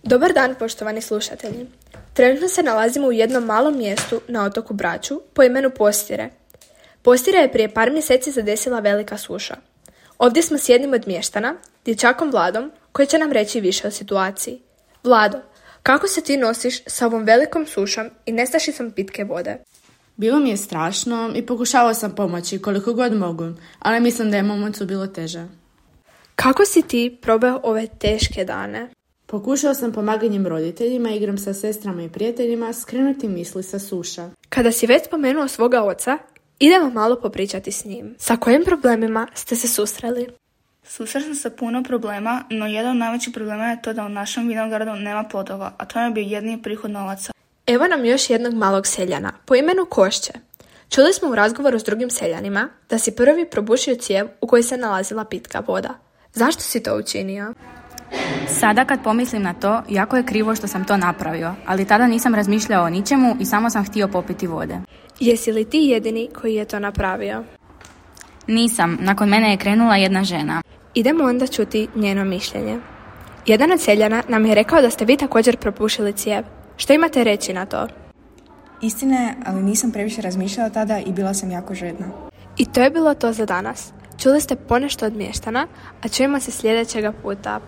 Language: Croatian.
Dobar dan, poštovani slušatelji. Trenutno se nalazimo u jednom malom mjestu na otoku Braču po imenu Postire. Postire je prije par mjeseci zadesila velika suša. Ovdje smo s jednim od mještana, dječakom Vladom, koji će nam reći više o situaciji. Vlado, kako se ti nosiš sa ovom velikom sušom i nestašicom pitke vode? Bilo mi je strašno i pokušavao sam pomoći koliko god mogu, ali mislim da je mom ocu bilo teže. Kako si ti probao ove teške dane? Pokušao sam pomaganjem roditeljima, igram sa sestrama i prijateljima, skrenuti misli sa suša. Kada si već spomenuo svoga oca, idemo malo popričati s njim. Sa kojim problemima ste se susreli? Susreo sam se puno problema, no jedan od najvećih problema je to da u našem vinogradu nema plodova, a to je bio jedini prihod novaca. Evo nam još jednog malog seljana, po imenu Košće. Čuli smo u razgovoru s drugim seljanima da si prvi probušio cijev u kojoj se nalazila pitka voda. Zašto si to učinio? Sada kad pomislim na to, jako je krivo što sam to napravio, ali tada nisam razmišljao o ničemu i samo sam htio popiti vode. Jesi li ti jedini koji je to napravio? Nisam, nakon mene je krenula jedna žena. Idemo onda čuti njeno mišljenje. Jedan od seljana nam je rekao da ste vi također propušili cijev. Što imate reći na to? Istina je, ali nisam previše razmišljala tada i bila sam jako žedna. I to je bilo to za danas. Čuli ste ponešto od mještana, a čujemo se sljedećega puta.